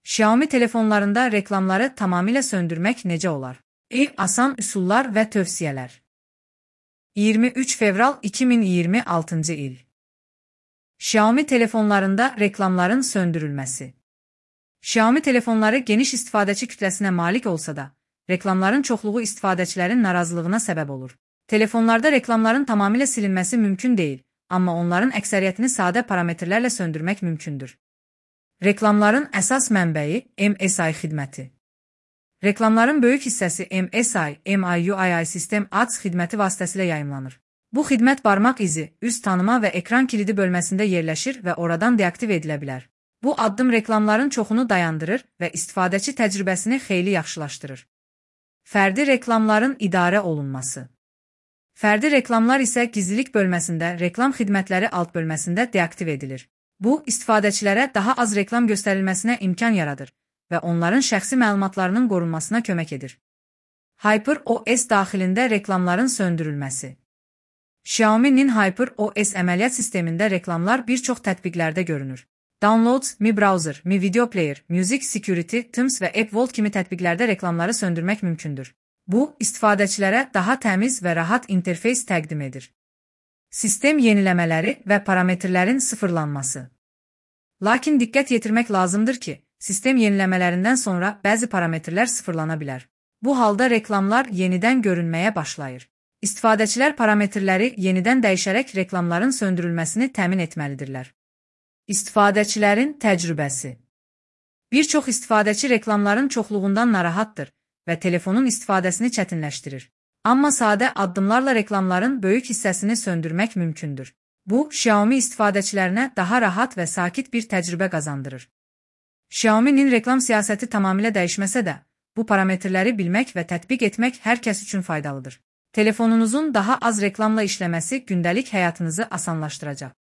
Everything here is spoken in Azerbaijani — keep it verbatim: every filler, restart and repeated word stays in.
Xiaomi telefonlarında reklamları tamamilə söndürmək necə olar? Ən asan üsullar və tövsiyələr. iyirmi üç fevral iki min iyirmi altıncı il. Xiaomi telefonlarında reklamların söndürülməsi. Xiaomi telefonları geniş istifadəçi kütləsinə malik olsa da, reklamların çoxluğu istifadəçilərin narazılığına səbəb olur. Telefonlarda reklamların tamamilə silinməsi mümkün deyil, amma onların əksəriyyətini sadə parametrlərlə söndürmək mümkündür. Reklamların əsas mənbəyi M S I xidməti. Reklamların böyük hissəsi M S I, M I U I sistem A D S xidməti vasitəsilə yayımlanır. Bu xidmət barmaq izi, üz tanıma və ekran kilidi bölməsində yerləşir və oradan deaktiv edilə bilər. Bu addım reklamların çoxunu dayandırır və istifadəçi təcrübəsini xeyli yaxşılaşdırır. Fərdi reklamların idarə olunması. Fərdi reklamlar isə gizlilik bölməsində, reklam xidmətləri alt bölməsində deaktiv edilir. Bu, istifadəçilərə daha az reklam göstərilməsinə imkan yaradır və onların şəxsi məlumatlarının qorunmasına kömək edir. HyperOS daxilində reklamların söndürülməsi. Xiaomi'nin HyperOS əməliyyat sistemində reklamlar bir çox tətbiqlərdə görünür. Downloads, Mi Browser, Mi Video Player, Music Security, Teams və App Vault kimi tətbiqlərdə reklamları söndürmək mümkündür. Bu, istifadəçilərə daha təmiz və rahat interfeys təqdim edir. Sistem yeniləmələri və parametrlərin sıfırlanması. Lakin diqqət yetirmək lazımdır ki, sistem yeniləmələrindən sonra bəzi parametrlər sıfırlana bilər. Bu halda reklamlar yenidən görünməyə başlayır. İstifadəçilər parametrləri yenidən dəyişərək reklamların söndürülməsini təmin etməlidirlər. İstifadəçilərin təcrübəsi. Bir çox istifadəçi reklamların çoxluğundan narahatdır və telefonun istifadəsini çətinləşdirir. Amma sadə addımlarla reklamların böyük hissəsini söndürmək mümkündür. Bu, Xiaomi istifadəçilərinə daha rahat və sakit bir təcrübə qazandırır. Xiaomi'nin reklam siyasəti tamamilə dəyişməsə də, bu parametrləri bilmək və tətbiq etmək hər kəs üçün faydalıdır. Telefonunuzun daha az reklamla işləməsi gündəlik həyatınızı asanlaşdıracaq.